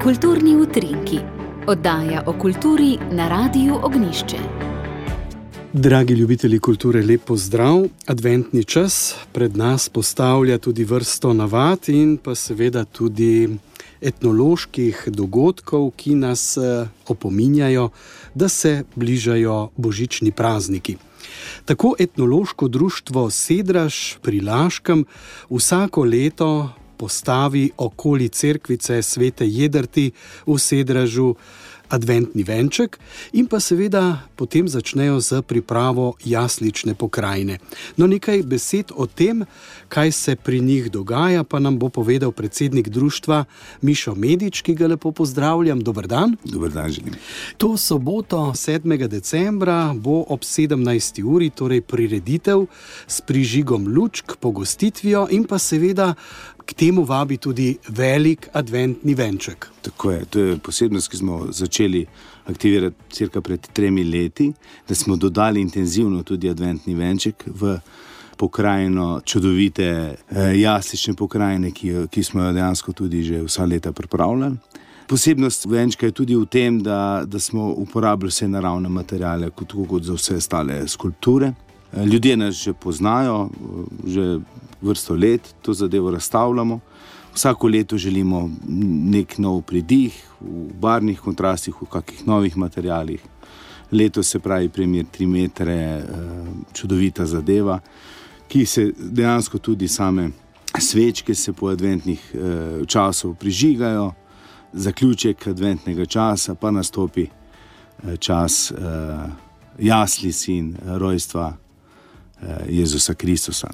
Kulturni utrinki. Oddaja o kulturi na Radiu Ognjišče. Dragi ljubitelji kulture, lep pozdrav. Adventni čas pred nas postavlja tudi vrsto navad in pa seveda tudi etnoloških dogodkov, ki nas opominjajo, da se bližajo božični prazniki. Tako etnološko društvo Sedraž pri Laškem vsako leto postavi okoli cerkvice Svete Jedrti v Sedražu adventni venček in pa seveda potem začnejo z pripravo jaslične pokrajine. No, nekaj besed o tem, kaj se pri njih dogaja, pa nam bo povedal predsednik društva Mišo Medič, ki ga lepo pozdravljam. Dober dan. Dober dan želim. To soboto, 7. decembra, bo ob 17. uri, torej prireditev s prižigom lučk, pogostitvijo in pa seveda k temu vabi tudi velik adventni venček. Tako je, to je posebnost, ki smo začeli aktivirati cirka pred 3 leti, da smo dodali intenzivno tudi adventni venček v pokrajino čudovite jaslične pokrajine, ki smo jo dejansko tudi že vsa leta pripravljali. Posebnost venčka je tudi v tem, da smo uporabili vse naravne materiale, kot za vse ostale skulpture. Ljudje nas že poznajo, že vrsto let to zadevo razstavljamo. Vsako leto želimo nek nov pridih, v barvnih kontrastih, v kakih novih materialih. Letos se pravi primer 3 metre, čudovita zadeva, ki se dejansko tudi same svečke se po adventnih časov prižigajo. Zaključek adventnega časa pa nastopi čas jaslic in rojstva Jezusa Kristusa.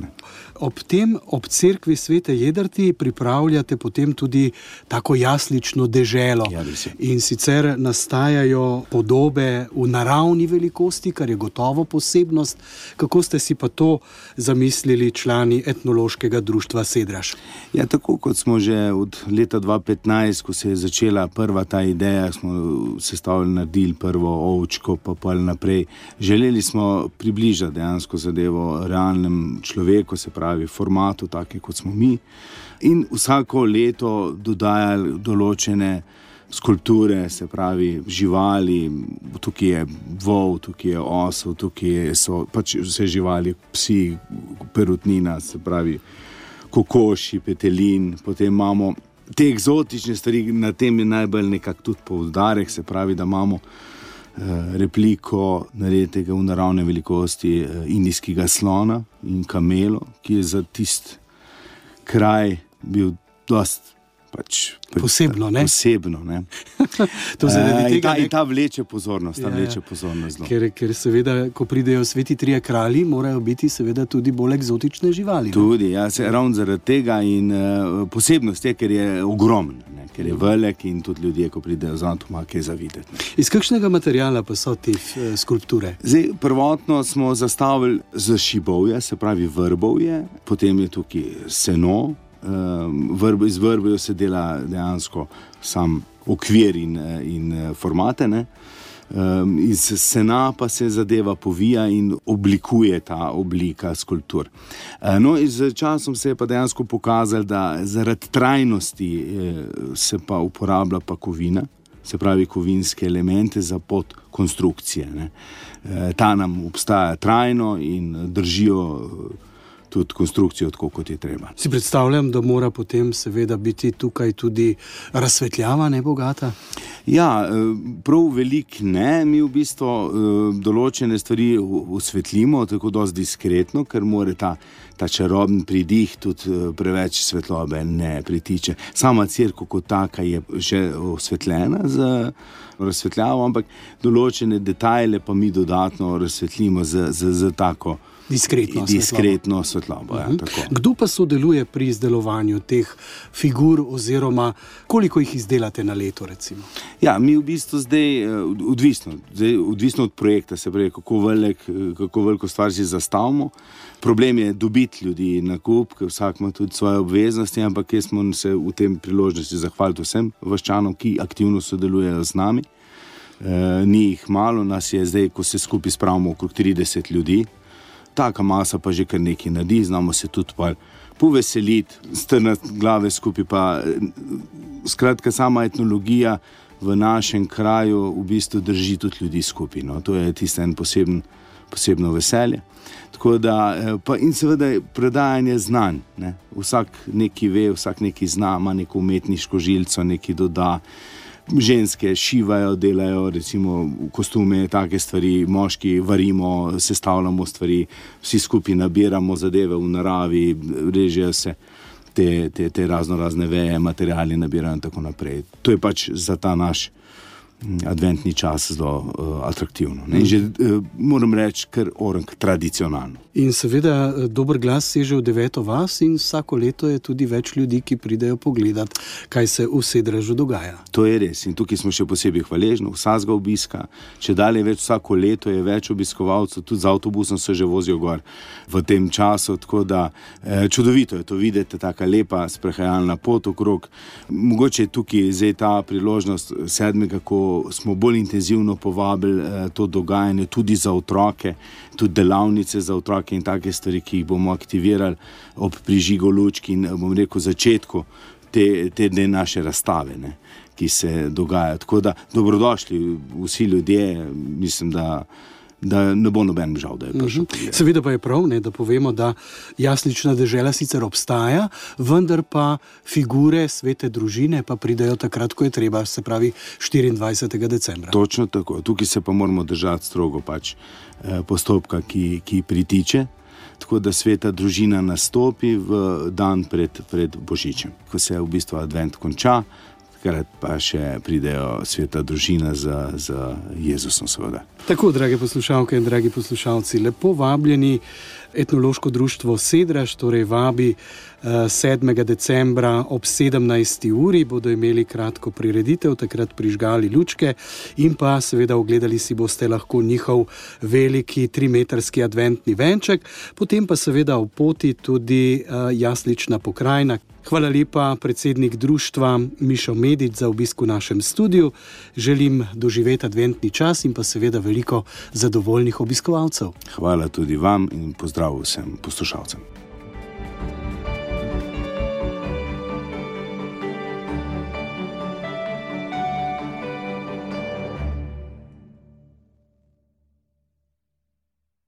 Ob cerkvi Svete Jedrti pripravljate potem tudi tako jaslično deželo. Ja, in sicer nastajajo podobe v naravni velikosti, kar je gotovo posebnost. Kako ste si pa to zamislili člani etnološkega društva Sedraž? Ja, tako kot smo že od leta 2015, ko se je začela prva ta ideja, smo sestavili, naredili prvo ovčko, pa naprej. Želeli smo približati dejansko zadevo realnem človeku, se pravi formatu, take kot smo mi, in vsako leto dodajali določene skulpture, se pravi živali, tukaj je vol, tukaj je osel, tukaj so pač vse živali, psi, perutnina, se pravi kokoši, petelin, potem imamo te eksotične stvari, na tem je najbolj nekako tudi poudarek, se pravi, da imamo repliko nareditega v naravne velikosti indijskega slona in kamelo, ki je za tist kraj bil dost posebno, ne? Posebno, ne? To zaradi tega, in ta vleče pozornost, vleče pozornost. Ker seveda, ko pridejo sveti trije kralji, morajo biti seveda tudi bolj eksotične živali. Tudi, ja, ravno zaradi tega in posebnost je, ker je ogromen, ker je velik in tudi ljudje, ko pridejo zraven, ima kaj za videti. Iz kakšnega materiala pa so te skulpture? Zdaj, prvotno smo zastavili z šibovja, se pravi vrbovje, potem je tukaj seno, iz vrbovja se dela dejansko sam okvir in formate, ne? Iz sena pa se zadeva povija in oblikuje ta oblika skulptur. No, in z časom se je pa dejansko pokazalo, da zaradi trajnosti se pa uporablja pa kovina, se pravi kovinske elemente za podkonstrukcije, ne? Ta nam obstaja trajno in držijo tudi konstrukcijo tako, kot je treba. Si predstavljam, da mora potem seveda biti tukaj tudi razsvetljava nebogata? Ja, prav veliko ne. Mi v bistvu določene stvari osvetlimo tako dosti diskretno, ker mora ta čarobni pridih tudi preveč svetlobe ne pritiče. Sama cerkev kot taka je že osvetljena z razsvetljavo, ampak določene detajle pa mi dodatno razsvetlimo z tako diskretno svetlobo. Ja, tako. Kdo pa sodeluje pri izdelovanju teh figur oziroma koliko jih izdelate na leto, recimo? Ja, mi v bistvu zdaj odvisno od projekta, se pravi, kako veliko stvar si zastavimo. Problem je dobiti ljudi na kup, ker vsak ima tudi svoje obveznosti, ampak jaz smo se v tem priložnosti zahvaliti vsem vaščanom, ki aktivno sodelujejo z nami. Ni jih malo, nas je zdaj, ko se skupaj spravimo, okrog 30 ljudi. Taka masa pa že kar nekaj naredi, znamo se tudi poveseliti, strnati glave skupaj. Pa, skratka, sama etnologija v našem kraju v bistvu drži tudi ljudi skupaj. No. To je tisto en posebno veselje. Tako da, pa in seveda predajanje znanj. Ne. Vsak nekaj ve, vsak nekaj zna, ima neko umetniško žilico, nekaj doda. Ženske šivajo, delajo recimo kostume, take stvari, moški varimo, sestavljamo stvari, vsi skupaj nabiramo zadeve v naravi, režejo se te razne veje, materiali nabirajo in tako naprej. To je pač za ta naš adventni čas zelo atraktivno. Ne? In že moram reči, kar orang tradicionalno. In seveda dober glas seže v 9. vas in vsako leto je tudi več ljudi, ki pridejo pogledat, kaj se v Sedražu dogaja. To je res in tukaj smo še posebej hvaležni, vsakega obiska, če dalje več vsako leto je več obiskovalcev, tudi z avtobusom se že vozijo gor v tem času, tako da čudovito je to videti, taka lepa sprehajalna pot okrog. Mogoče je tukaj zdaj ta priložnost 7. ko smo bolj intenzivno povabili to dogajanje tudi za otroke, tudi delavnice za otroke in take stvari, ki jih bomo aktivirali ob prižigu lučk in bom rekel začetku te naše razstave, ne, ki se dogajajo. Tako da dobrodošli vsi ljudje, mislim, da ne bo noben žal, da je prišel. Seveda pa je prav, ne, da povemo, da jaslična dežela sicer obstaja, vendar pa figure svete družine pa pridejo takrat, ko je treba, se pravi 24. decembra. Točno tako. Tukaj se pa moramo držati strogo pač postopka, ki pritiče, tako da sveta družina nastopi v dan pred Božičem. Ko se v bistvu advent konča, takrat pa še pridejo sveta družina z Jezusom seveda. Tako, drage poslušalke in dragi poslušalci, lepo vabljeni etnološko društvo Sedraž, torej vabi 7. decembra ob 17. uri, bodo imeli kratko prireditev, takrat prižgali lučke in pa seveda ogledali si boste lahko njihov veliki 3-metrski adventni venček, potem pa seveda v poti tudi jaslična pokrajina. Hvala lepa, predsednik društva Mišo Medič, za obisk v našem studiu. Želim doživeti adventni čas in pa seveda veliko zadovoljnih obiskovalcev. Hvala tudi vam in pozdrav vsem poslušalcem.